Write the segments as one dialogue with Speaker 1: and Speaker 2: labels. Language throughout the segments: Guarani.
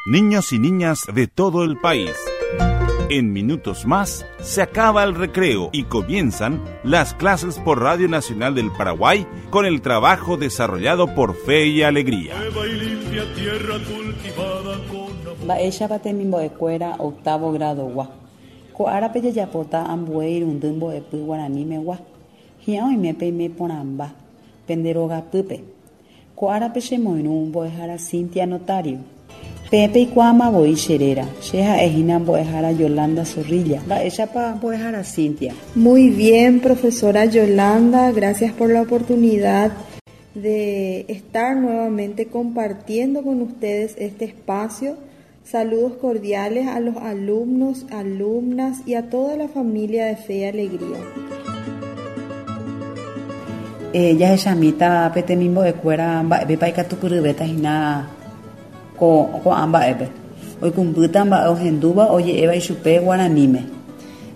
Speaker 1: Niños y niñas de todo el país. En minutos más se acaba el recreo y comienzan las clases por Radio Nacional del Paraguay con el trabajo desarrollado por Fe y Alegría.
Speaker 2: Mba'éichapa temimbo'ekuéra octavo grado-gua. Ko árape jajapóta ambue irundy mbo'epy guaranimegua. Hi'ã oime peime porãmba pende rogapýpe. Ko árape chemoirũ mbo'ehára Cinthia Notario. Peẽ peikuaáma voi che réra, che ha'ehína mbo'ehára Yolanda Zorrilla. Mba'éichapa mbo'ehára Cinthia?
Speaker 3: Muy bien, profesora Yolanda, gracias por la oportunidad de estar nuevamente compartiendo con ustedes este espacio. Saludos cordiales a los alumnos, alumnas y a toda la familia de Fe y Alegría.
Speaker 2: Eh, jahechamíta pe temimbo'ekuéra mba'épepa ikatupyryvéta hína ko ko'ã mba'épe. Oikũmbýta mba'e ohendúva oje'éva ichupe guaraníme.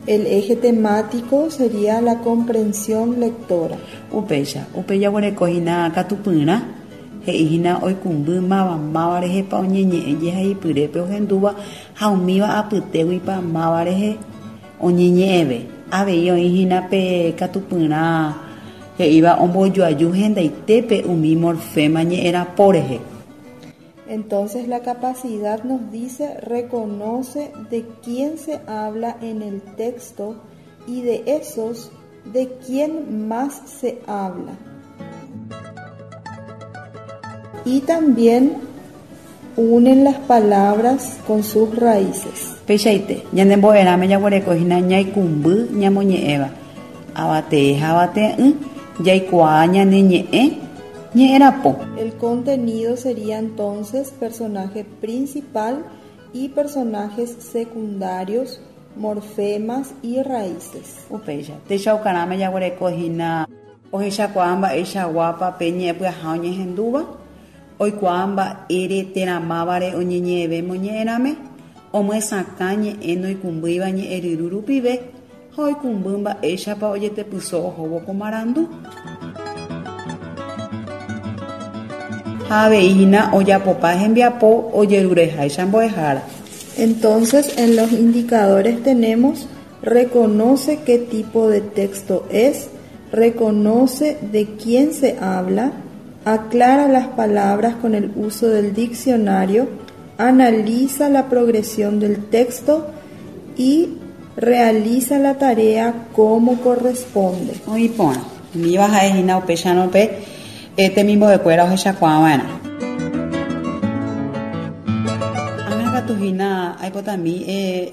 Speaker 3: El eje temático sería la comprensión lectora.
Speaker 2: Upéicha, upéi jaguereko hína katupyrã, he'i hína oikũmby máva máva rehepa oñeñe'ẽ jehaipyrépe ohendúva ha umíva apytéguipa máva rehe oñeñe'ẽve. Avei oĩ hína pe katupyrã he'íva ombojoaju hendaitépe umi morfema ñe'ẽrapo rehe.
Speaker 3: Entonces la capacidad nos dice reconoce de quién se habla en el texto y de esos de quién más se habla. Y también unen las palabras con sus raíces.
Speaker 2: Peichaite, ñane mbo'erãme jaguereko hína ñaikũmby ñamoñe'ẽva. Avatee ha avate'ỹ jaikuaa ñane ñe'ẽ ñe'ẽrapo.
Speaker 3: El contenido sería entonces personaje principal y personajes secundarios, morfemas y raíces.
Speaker 2: Upéicha, techaukarãme jaguereko hína ohechakuaa mba'eichaguápa pe ñe'ẽpyaha oñehendúva, oikuaa mba'ére térã mávare oñeñe'ẽve moñe'ẽrãme, omyesakã ñe'ẽ noikũmbýiva ñe'ẽryru rupive ha oikũmby mba'éichapa ojetepyso ohóvo ko marandu. Ha avei hína ojapopa hembiapo ojerureháicha mbo'ehára.
Speaker 3: Entonces, en los indicadores tenemos reconoce qué tipo de texto es, reconoce de quién se habla, aclara las palabras con el uso del diccionario, analiza la progresión del texto y realiza la tarea como corresponde.
Speaker 2: Oĩ porã. Umíva ha'ehína upéicharõ pe temimbo'ekuéra ohechakuaava'erã. Ág̃a katu hína aipotami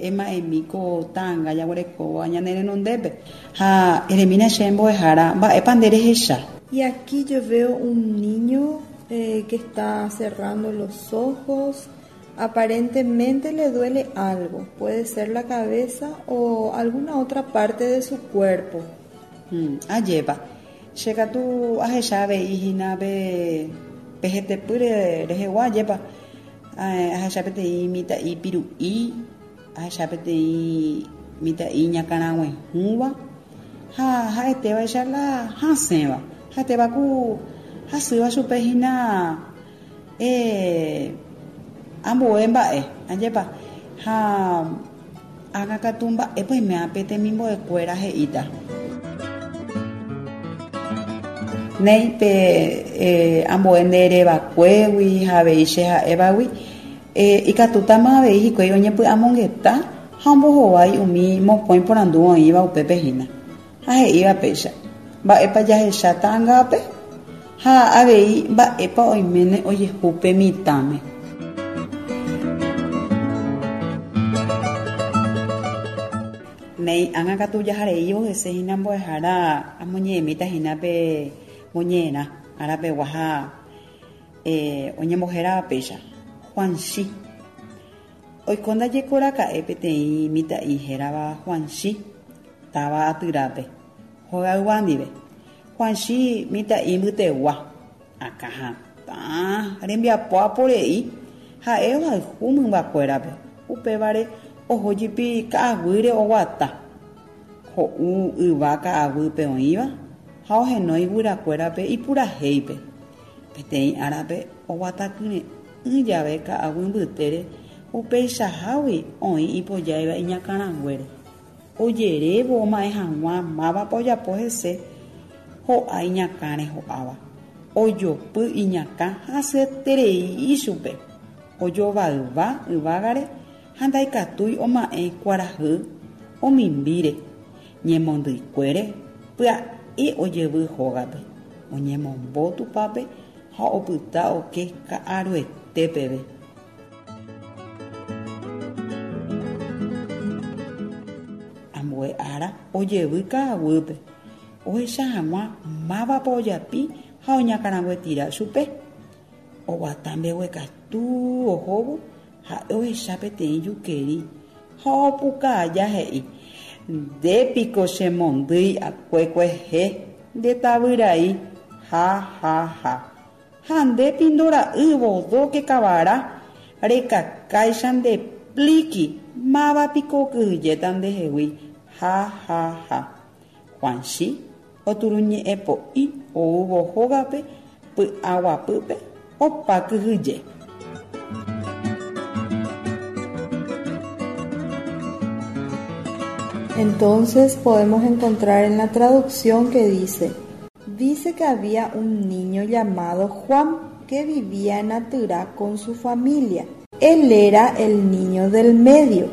Speaker 2: ema'ẽmi ko ta'anga jaguerekóva ñane renondépe. Ha eremína che mbo'ehára mba'épa nde rehecha.
Speaker 3: Y aquí yo veo un niño eh, que está cerrando los ojos. Aparentemente le duele algo, puede ser la cabeza o alguna otra parte de su cuerpo.
Speaker 2: Ajépa, che katu ahecha avei hína pe pe hetepýre rehegua, ajépa, ahecha peteĩ mitã'i piru'i, ahecha peteĩ mitã'i iñakãraguehũva ha ha'etévaicha la hasẽva, ha'etéva ku hasýva chupe hína Eh, ambue mba'e, ajépa? Ha ág̃a katu mba'épa oiméva pe temimbo'ekuéra he'íta. Néi, pe ambue nde erevakuégui ha avei che ha'évagui, ikatútama avei hikuái oñepy'amongeta ha ombohovái umi mokõi porandu oĩva upépe hína. Ha he'íva péicha, Mba'épa jahecha ta'angápe? Ha avei mba'épa oiméne ojehu pe mitãme? Néi, ág̃a katu jahareívo hese hína mbo'ehára amoñe'ẽmíta hína pe moñe'ẽrã arapegua ha oñembohérava péicha, Juanchi. Oiko ndajekoraka'e peteĩ mitã'i hérava Juanchi. Táva Atyrápe, hogaygua ndive. Juanchi mitã'i mbytegua, akã hatã, rembiapo aporei, ha'e ohayhu mymbakuérape, upévare oho jepi ka'aguýre oguata, ho'u yva ka'aguýpe oĩva ha ohenói guyrakuérape ipurahéipe. Peteĩ árape oguata kyre'ỹ jave ka'aguy mbytére. Upeichahágui oĩ ipojáiva iñakãranguére. Ojerévo oma'ẽ hag̃ua mávapa ojapo hese, ho'a iñakãre ho'áva. Ojopy iñakã hasyeterei ichupe. Ojovayva yvágare ha ndaikatúi oma'ẽ kuarahy omimbíre. Ñemondyikuére pya'e ojevy hógape, oñemombo tupápe ha opyta oke ka'aruete peve. Ambue ára ojevy ka'aguýpe, ohecha hag̃ua mávapa ojapi ha oñakãraguetira chupe. Oguata mbeguekatu ohóvo ha'e ohecha peteĩ jukeri ha opuka aja he'i, Nde piko chemondýi akue kuehe, nde tavyrai, ha ha ha. Ha nde pindo ra'y vodóke kavara, rekakáicha nde plíki, máva piko okyhyjéta ndehegui, ha ha ha. Juanchi oturuñe'ẽ po'i oúvo hógape py'aguapýpe opa kyhyje.
Speaker 3: Entonces podemos encontrar en la traducción que dice, Dice que había un niño llamado Juan que vivía en Atyrá con su familia. Él era el niño del medio,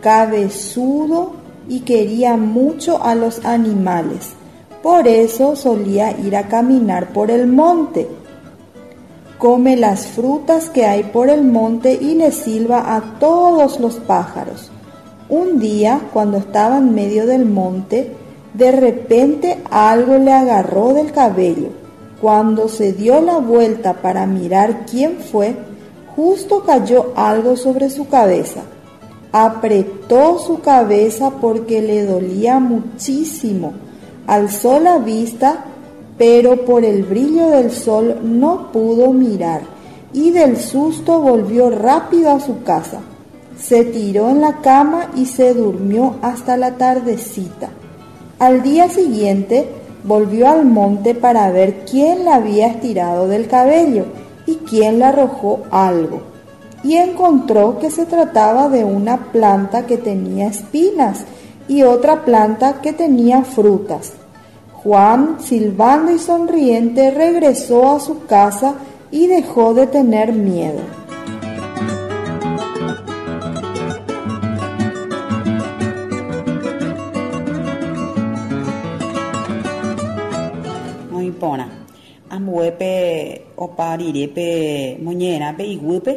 Speaker 3: cabezudo y quería mucho a los animales. Por eso solía ir a caminar por el monte. Come las frutas que hay por el monte y le silba a todos los pájaros. Un día, cuando estaba en medio del monte, de repente algo le agarró del cabello. Cuando se dio la vuelta para mirar quién fue, justo cayó algo sobre su cabeza. Apretó su cabeza porque le dolía muchísimo. Alzó la vista, pero por el brillo del sol no pudo mirar y del susto volvió rápido a su casa. Se tiró en la cama y se durmió hasta la tardecita. Al día siguiente volvió al monte para ver quién la había estirado del cabello y quién le arrojó algo. Y encontró que se trataba de una planta que tenía espinas y otra planta que tenía frutas. Juan, silbando y sonriente, regresó a su casa y dejó de tener miedo.
Speaker 2: Oĩ porã. Ambue pe opa rire pe moñe'ẽrã pe iguýpe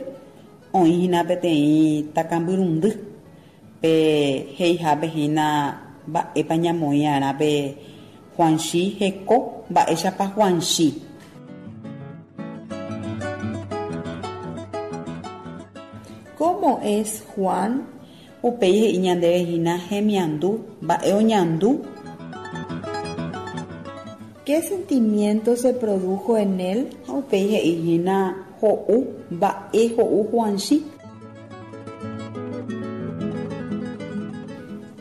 Speaker 2: oĩ hína peteĩ takambyrundy pe he'ihápe hína mba'épa ñamoĩ arã pe Juanchi heko mba'éichapa Juanchi.
Speaker 3: Cómo es Juan?
Speaker 2: Upéi he'i ñandéve hína hemiandu mba'e oñandu.
Speaker 3: Qué sentimiento se produjo en él?
Speaker 2: Ha upéi he'i hína ho'u mba'e ho'u Juanchi.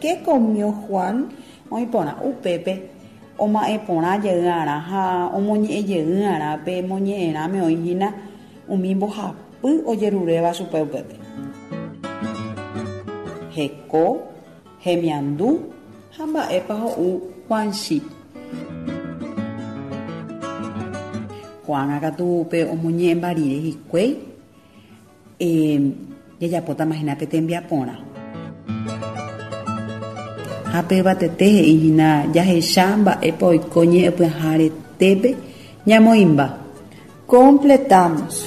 Speaker 3: Qué comió Juan?
Speaker 2: Oĩ porã upépe oma'ẽ porã jey arã ha omoñe'ẽ jey arã pe moñe'ẽrãme oĩ hína umi mbohapy ojeruréva chupe upépe. Heko, hemiandu ha mba'épa ho'u Juanchi. Ko'ág̃a katu pe omoñe'ẽmba rire hikuái Jajapótama hína pe tembiaporã. Ha pe yvatete he'i hína jahecha mba'épa oiko ñe'ẽpyaha retépe ñamoĩmba.
Speaker 3: Completamos.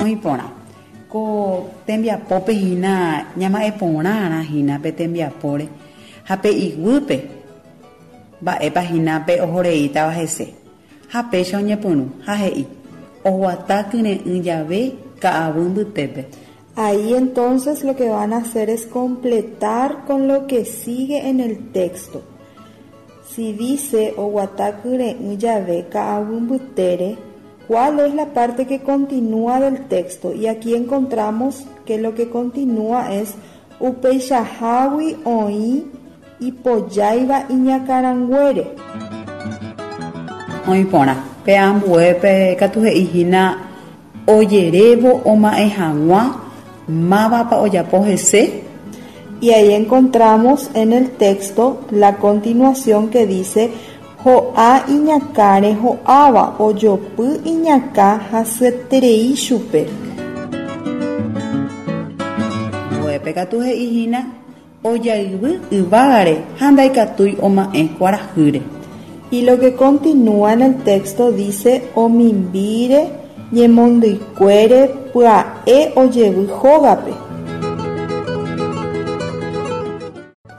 Speaker 2: Oĩ porã. Ko tembiapópe hína ñama'ẽ porãrã hína pe tembiapóre ha pe iguýpe mba'épa hína pe ohoreítava hese. Ha péicha oñepyrũ, ha he'i, Oguata kyre'ỹ jave ka'aguy mbytépe.
Speaker 3: Ahí entonces lo que van a hacer es completar con lo que sigue en el texto. Si dice oguata kyre'ỹ jave ka'aguy mbytére, ¿cuál es la parte que continúa del texto? Y aquí encontramos que lo que continúa es upeichahágui oĩ ipojáiva iñakãranguére.
Speaker 2: Oĩ porã. Pe ambuépe katu he'i hína Ojerévo oma'ẽ hag̃ua mávapa ojapo hese.
Speaker 3: Y ahí encontramos en el texto la continuación que dice Ho'a iñakãre ho'áva, ojopy iñakã hasyeterei chupe.
Speaker 2: Ambuépe katu he'i hína ojayvy yvágare ha ndaikatúi oma'ẽ kuarahýre.
Speaker 3: Y lo que continúa en el texto dice Omimbíre ñemondyikuére pya'e ojevy hógape.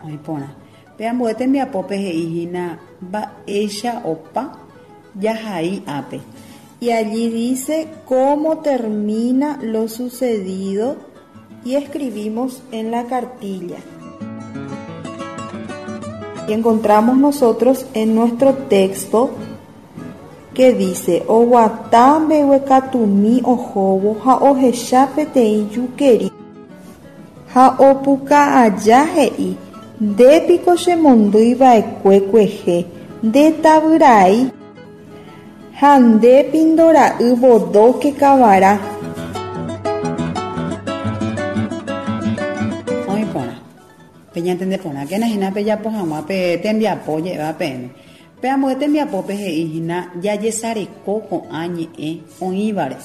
Speaker 2: Oĩ porã. Pe ambue tembiapópe he'i hína mba'éicha opa jahai ápe.
Speaker 3: Y allí dice cómo termina lo sucedido y escribimos en la cartilla. Y encontramos nosotros en nuestro texto que dice Oguata mbeguekatumi ohóvo ha ohecha peteĩ jukeri ha opuka aja he'i Ndépiko chemondýiva'ekue kuehe, nde tavyrai ha nde pindora'y vodóke kavara.
Speaker 2: Oĩ porã. Peñantende porãkena hína pejapo hag̃ua pe tembiapo oje'éva peẽme. Pe ambue tembiapópe he'i hína jajesareko ko'ã ñe'ẽ oĩvare.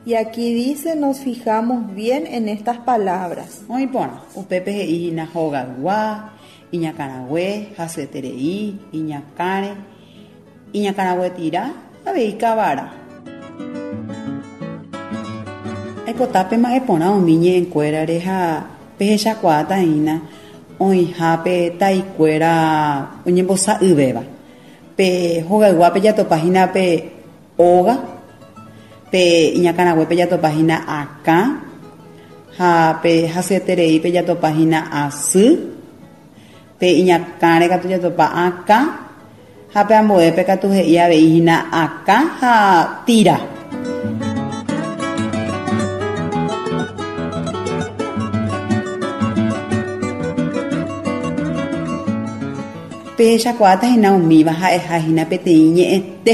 Speaker 3: Y aquí dice nos fijamos bien en estas palabras.
Speaker 2: Oĩ porã, upépe he'i hína hogaygua, iñakãrague, hasyeterei, iñakãre, iñakãraguetira, avei kavara. Aipota pema'ẽ porã umi ñe'ẽnkuérare ha pehechakuaáta hína oĩha pe taikuéra oñembosa'yvéva. Pe hogayguápe jatopa hína pe óga, pe iñakãraguépe jatopa hína akã ha pe hasyetereípe jatopa hína asy, pe iñakãre katu jatopa akã ha pe ambuépe katu he'i avei hína akã ha tira. Pehechakuaáta hína umíva ha'eha hína peteĩ ñe'ẽte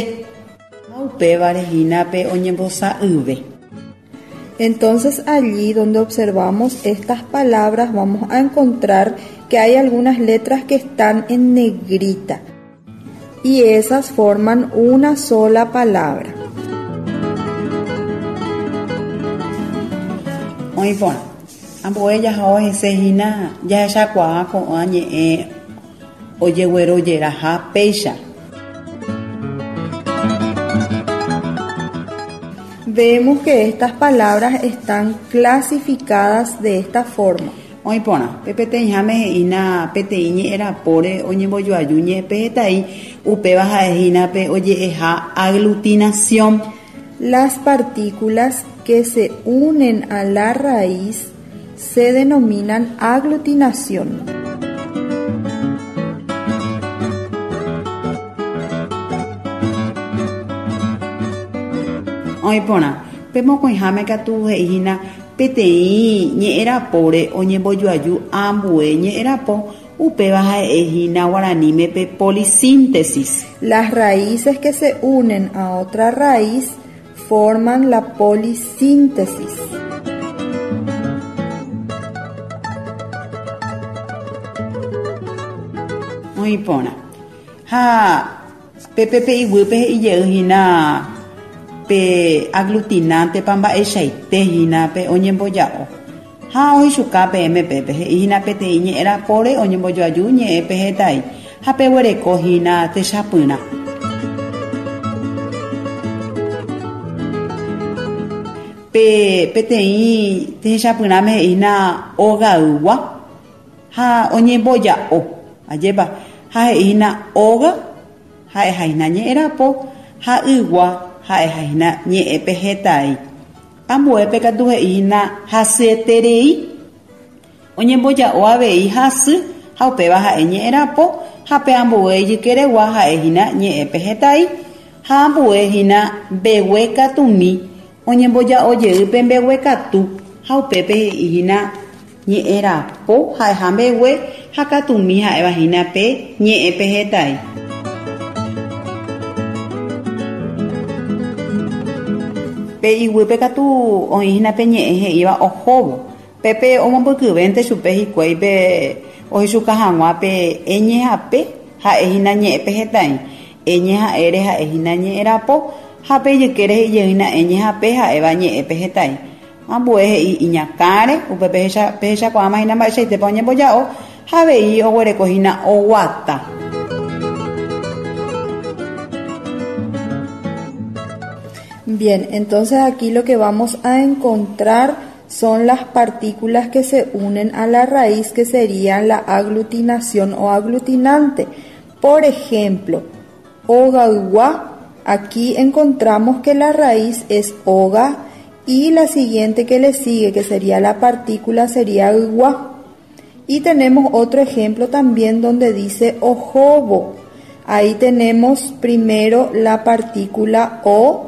Speaker 2: ha upévare hína pe oñembosa'yve.
Speaker 3: Entonces allí donde observamos estas palabras vamos a encontrar que hay algunas letras que están en negrita y esas forman una sola palabra.
Speaker 2: Oĩ porã. Ambue jaha hese hína jahechakuaa ko'ã ñe'ẽ ojeguerojeraha péicha.
Speaker 3: Vemos que estas palabras están clasificadas de esta forma.
Speaker 2: Oĩ porã. Pe peteĩháme he'ína peteĩ ñe'ẽrapóre oñembojoaju ñe'ẽpehetai upéva ha'ehína pe oje'eha aglutinación.
Speaker 3: Las partículas que se unen a la raíz se denominan aglutinación.
Speaker 2: Oĩ porã. Pe mokõiháme katu he'i hína peteĩ ñe'ẽrapóre oñembojoaju ambue ñe'ẽrapo upéva ha'ehína guaraníme pe polisíntesis.
Speaker 3: Las raíces que se unen a otra raíz forman la polisíntesis.
Speaker 2: Oĩ porã. Ha pe pepe iguýpe he'i jey hína pe aglutinante pa mba'eichaite hína pe oñemboja'o. Ha ohechuka peẽme pépe he'i hína peteĩ ñe'ẽrapóre oñembojoaju ñe'ẽpehetai ha peguereko hína techapyrã. Pe peteĩ techapyrãme he'i hína ogaygua ha oñemboja'o. Ajépa ha he'i hína óga ha'eha hína ñe'ẽrapo ha ygua ha'eha hína ñe'ẽpehetai. Ambuépe katu he'i hína hasyeterei oñemboja'o avei hasy ha upéva ha'e ñe'ẽrapo ha pe ambue ijykeregua ha'ehína ñe'ẽpehetai ha ambue hína mbeguekatumi oñemboja'o jey pe mbeguekatu ha upépe he'i hína ñe'ẽrapo ha'eha mbegue ha katumi ha'éva hína pe ñe'ẽpehetai. Pe Pe iguýpe katu oĩ hína pe ñe'ẽ he'íva ohóvo. Pépe omombykyvénte chupe hikuái pe ohechuka hag̃ua pe eñe ha pe ha'e hína ñe'ẽ pehẽtai. Eñe ha'ére ha'e hína ñe'ẽ rapo ha pe ijykére he'i hína eñe ha pe ha'éva ñe'ẽ pehẽtai. Ambue he'i iñakãre, upe pehechakuaáma hína mba'eichaitépa oñemboja'o ha avei oguereko hína oguata.
Speaker 3: Bien, entonces aquí lo que vamos a encontrar son las partículas que se unen a la raíz que serían la aglutinación o aglutinante. Por ejemplo, ogaygua, aquí encontramos que la raíz es oga y la siguiente que le sigue, que sería la partícula, sería ygua. Y tenemos otro ejemplo también donde dice ohóvo. Ahí tenemos primero la partícula o,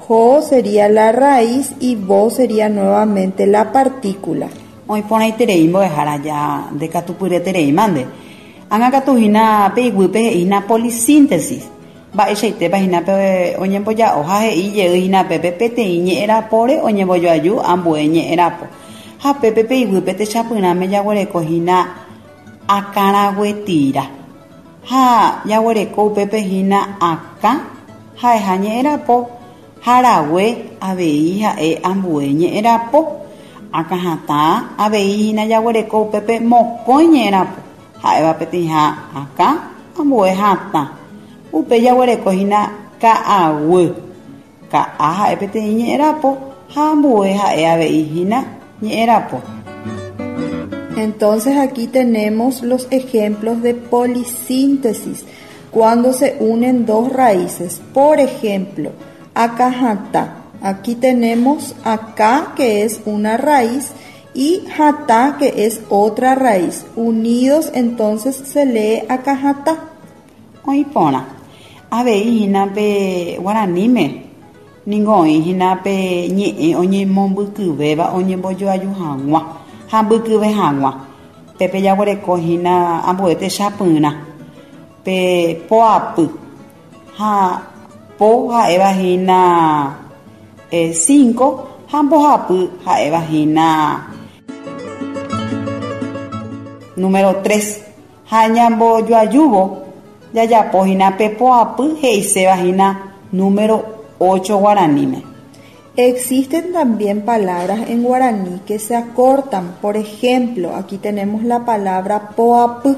Speaker 3: jo sería la raíz y vo sería nuevamente la partícula.
Speaker 2: Oĩ porãiterei mbo'ehára ja ndekatupyryetereíma nde. Ág̃a katu hína pe iguýpe he'i hína polisíntesis. Mba'eichaitépa hína pe oñemboja'o ha he'i jey hína pépe peteĩ ñe'ẽrapóre oñembojoaju ambue ñe'ẽrapo. Ha pépe pe iguýpe techapyrãme jaguereko hína akãraguetira. Ha jaguereko upépe hína akã ha'eha ñe'ẽrapo ha rague avei ha'e ambue ñe'ẽrapo. Akãhatã avei hína jaguereko upépe mokõi ñe'ẽrapo ha'éva peteĩha akã ambue hatã. Upe jaguereko hína ka'aguy. Ka'a ha'e peteĩ ñe'ẽrapo ha ambue ha'e avei hína ñe'ẽrapo.
Speaker 3: Entonces aquí tenemos los ejemplos de polisíntesis, cuando se unen dos raíces. Por ejemplo, akãhatã. Aquí tenemos akã, que es una raíz, y hatã, que es otra raíz. Unidos entonces se lee akãhatã.
Speaker 2: Oĩ porã. Avei hína pe guaraníme ningo oĩ hína pe ñe'ẽ oñemombykyvéva oñembojoaju hag̃ua ha mbykyve hag̃ua. Pépe jaguereko hína ambue techapyrã pe poapy ha po ha'éva hína 5 ha mbohapy ha'éva hína número 3. Ha ñambojoajúvo jajapo hína pe poapy he'iséva hína número 8 guaraníme.
Speaker 3: Existen también palabras en guaraní que se acortan. Por ejemplo, aquí tenemos la palabra poapy.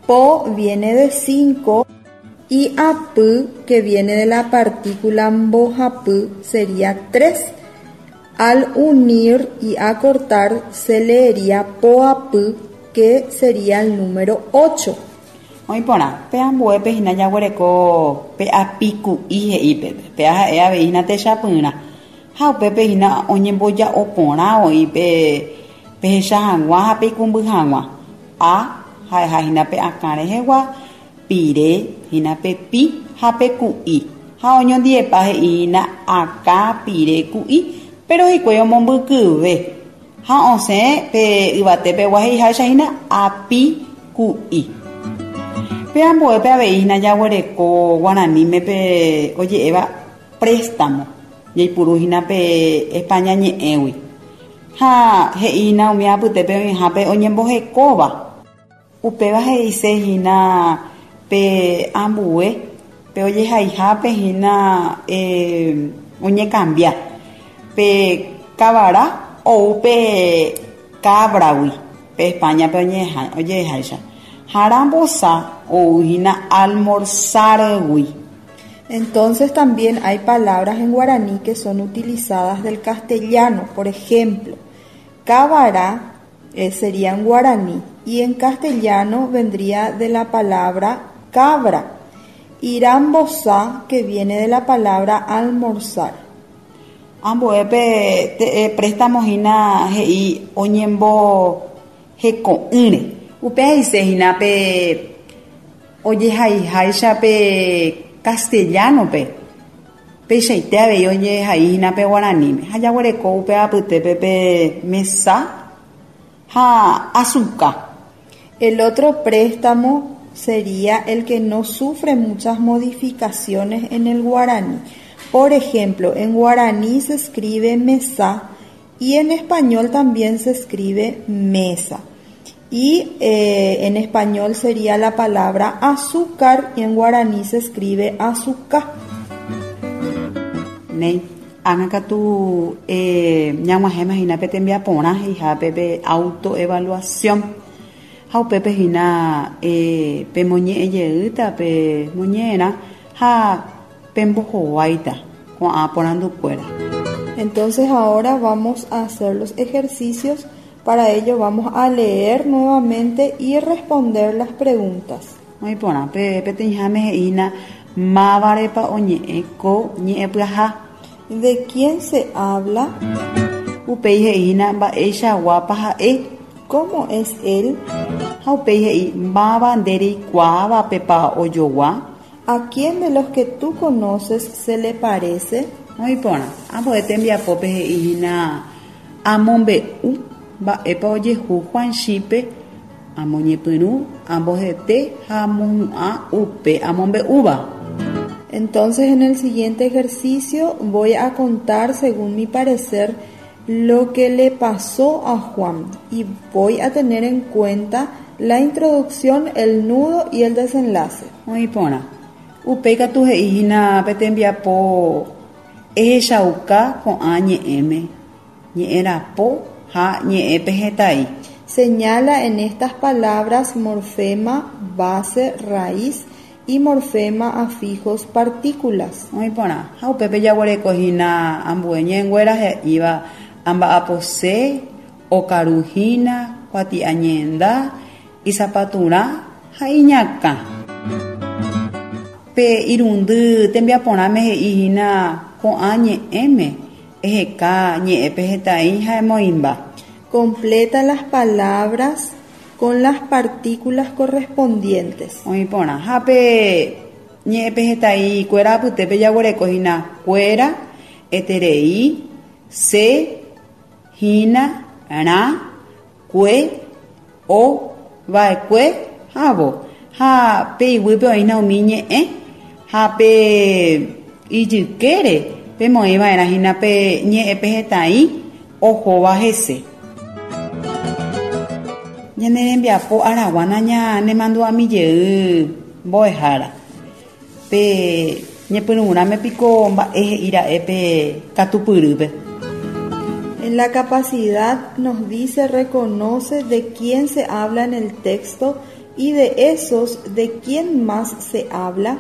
Speaker 3: Po viene de 5 y apy, que viene de la partícula mbohapy, sería 3. Al unir y acortar se leería poapy, que sería el número 8.
Speaker 2: Oĩ porã, pe ambuépe hína jaguereko pe apiku'i he'i pépe, pe ha'e avei hína techapyrã. Ha upépe hína oñemboja'o porã oĩ pe pehecha hag̃ua ha peikumby hag̃ua. A ha'eha hína pe akã rehegua, pire hína pe pi ha pe ku'i. Ha oñondiepa he'i hína akã pire ku'i, pero hikuái omombykyve. Ha osẽ pe yvatépegua he'iháicha hína api ku'i. Pe ambuépe avei hína jaguereko guaraníme pe oje'éva préstamo jaipuru hína pe España ñe'ẽgui. Ha he'i hína umi apytépe oĩhápe oñembohekóva. Upéva he'ise hína pe ambue pe ojehaihápe hína oñekambia. Pe kavara ou pe cabragui pe España-pe oje'eháicha. Ha rambosa ou hína almorzar-gui.
Speaker 3: Entonces también hay palabras en guaraní que son utilizadas del castellano. Por ejemplo, kavara sería en guaraní y en castellano vendría de la palabra cabra. Y rambosa, que viene de la palabra almorzar.
Speaker 2: Ambuépe préstamo hína he'i oñemboheko'ỹre. Upe he'ise hína pe ojehaiháicha pe castellano-pe. Peichaite avei ojehai hína pe guaraníme. Ha jaguereko upe apytépe pe mesa ha asuka.
Speaker 3: El otro préstamo sería el que no sufre muchas modificaciones en el guaraní. Por ejemplo, en guaraní se escribe mesa y en español también se escribe mesa. Y eh, en español sería la palabra azúcar y en guaraní se escribe azúcar.
Speaker 2: Néi, ág̃a katu ñag̃uahẽma hína pe tembiaporã he'ihápe pe autoevaluación. Ha upépe hína pemoñe'ẽ jeýta pe moñe'ẽrã ha pembohováita ko'ã porandukuéra.
Speaker 3: Entonces ahora vamos a hacer los ejercicios, para ello vamos a leer nuevamente y responder las preguntas.
Speaker 2: Oĩ porã, pe peteĩháme he'i hína mávarepa oñe'ẽ ko ñe'ẽpyaha.
Speaker 3: De quién se habla?
Speaker 2: Upéi he'i hína mba'eichaguápa ha'e.
Speaker 3: Cómo es él?
Speaker 2: Ha upéi he'i máva nde reikuaávapepa ojogua.
Speaker 3: A quién de los que tú conoces se le parece?
Speaker 2: Oĩ porã, ambue tembiapópe he'i hína amombe'u mba'épa ojehu Juanchípe Amoñepyrũ, ambohete ha amohu'ã upe amombe'úva.
Speaker 3: Entonces en el siguiente ejercicio voy a contar según mi parecer lo que le pasó a Juan y voy a tener en cuenta la introducción, el nudo y el desenlace.
Speaker 2: Oĩ porã. Upéi katu he'i hína pe tembiapo ehechauka ko'ã ñe'ẽme. Ñe'ẽ rapo ha ñe'ẽ pehẽtai.
Speaker 3: Señala en estas palabras morfema base raíz y morfema afijos partículas.
Speaker 2: Oĩ porã, ha upépe jaguereko hína ambue ñe'ẽnguéra he'íva amba'apose, okaru hína, kuatiañe'ẽnda, isapaturã ha iñakã. Pe irundy tembiaporãme he'i hína ko'ã ñe'ẽme Eheka ñe'ẽpe hetãi ha emoĩmba.
Speaker 3: Completa las palabras con las partículas correspondientes.
Speaker 2: Oĩ porã. Ha pe ñe'ẽpe hetãi kuéra apytépe jaguereko hína kuéra, eterei, se, hína, rã, kue, o, va'ekue ha vo. Ha pe iguýpe oĩna umi ñe'ẽ ha pe ijykére pemoĩ va'erã hína pe ñe'ẽ pehetãi ohóva hese. Ñane rembiapo aragua nañanemandu'ami jey mbo'ehára. Pe ñepyrũrãme piko mba'e he'i ra'e pe katupyrýpe.
Speaker 3: En la capacidad nos dice reconoce de quién se habla en el texto y de esos de quién más se habla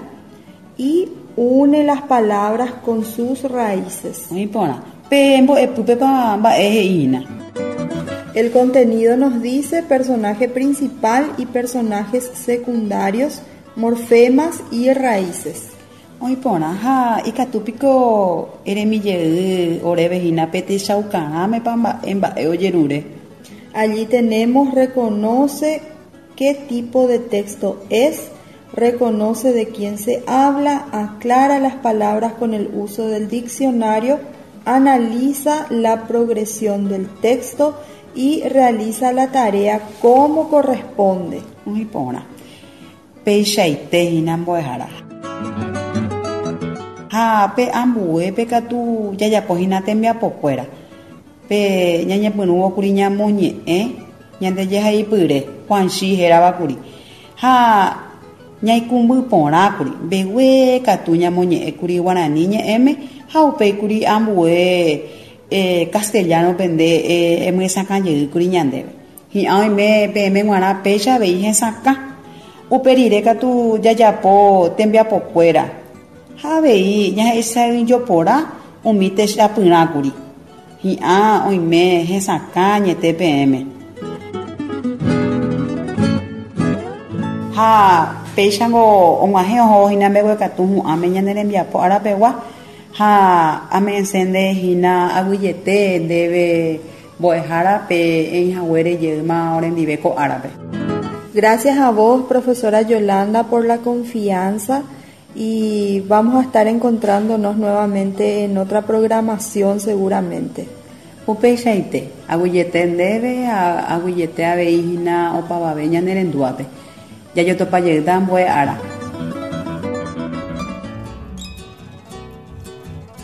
Speaker 3: y une las palabras con sus raíces.
Speaker 2: Oĩ porã. Pe mbo'epýpepa mba'e he'i hína.
Speaker 3: El contenido nos dice personaje principal y personajes secundarios, morfemas y raíces.
Speaker 2: Oĩ porã ha ikatu piko eremi jey oréve hína pe techaukarãmepa mba'e mba'e ojerure.
Speaker 3: Allí tenemos reconoce qué tipo de texto es, reconoce de quién se habla, aclara las palabras con el uso del diccionario, analiza la progresión del texto y realiza la tarea como corresponde.
Speaker 2: Oĩ porã. Peichaite hína mbo'ehára. Ha pe ambuépe katu jajapo hína tembiapokuéra. Pe ñañepyrũvo kuri ñamoñe'ẽ ñande jehaipyre, Juanchi hérava kuri. Ha ñaikũmby porã kuri, mbegue katu ñamoñe'ẽ kuri guarani ñe'ẽme ha upéi kuri ambue castellano-pe nde emyesakã jey kuri ñandéve. Hi'ã oime peẽme g̃uarã péicha avei hesakã. Upe rire katu jajapo tembiapokuéra ha avei ñahesa'ỹijopora umi techapyrãkuri. Hi'ã oime hesakã añete peẽme. Ha péichango og̃uahẽ ohóvo hína mbeguekatu hu'ãme ñane rembiapo arapegua ha ame'ẽse nde hína aguyjete ndéve Mbo'ehára pe eĩhaguére jeýma orendive ko árape.
Speaker 3: Gracias a vos, profesora Yolanda, por la confianza y vamos a estar encontrándonos nuevamente en otra programación seguramente.
Speaker 2: Upeichaite, aguyjete ndéve ha aguyjete avei hína opavave ñane rendúape. Jajotopa jeýta ambue ára.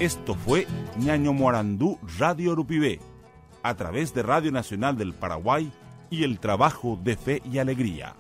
Speaker 1: Esto fue Ñañomoarandú Radio Rupivé, a través de Radio Nacional del Paraguay y el trabajo de Fe y Alegría.